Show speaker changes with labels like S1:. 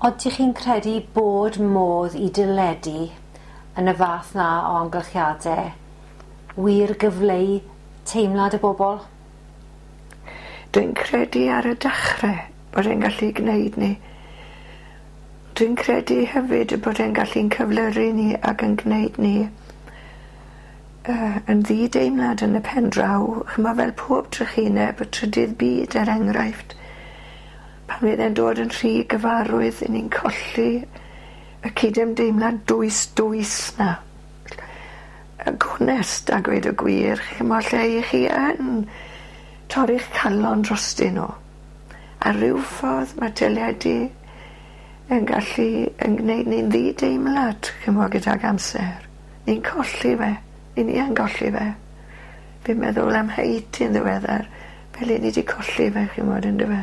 S1: Odych chi'n credu bod modd i deledu yn y fath 'na o amgylchiade wir gyfleu teimlad y bobol?
S2: Dwi'n credu ar y dechre bod e'n gallu gneud 'ny. Dwi'n credu hefyd y bod e'n gallu'n cyflyru ni ac yn gneud ni yy yn ddi-deimlad yn y pen draw ch'mo' fel pob trychineb y trydydd byd er enghraifft pan fydd e'n dod yn rhy gyfarwydd 'yn ni'n colli y cydymdeimlad dwys dwys 'na. Y gonest a gweud y gwir ch'mo' lle 'ych chi yn torri'ch calon drostyn n'w. A ryw ffordd ma' teledu yn gallu 'yn gneud ni'n ddi-deimlad ch'mo' gydag amser. Ni'n colli fe. 'Yn ni yn golli fe. Fi'n meddwl am Haiti yn ddiweddar fel 'yn ni 'di colli fe chi'mod on'd yfe?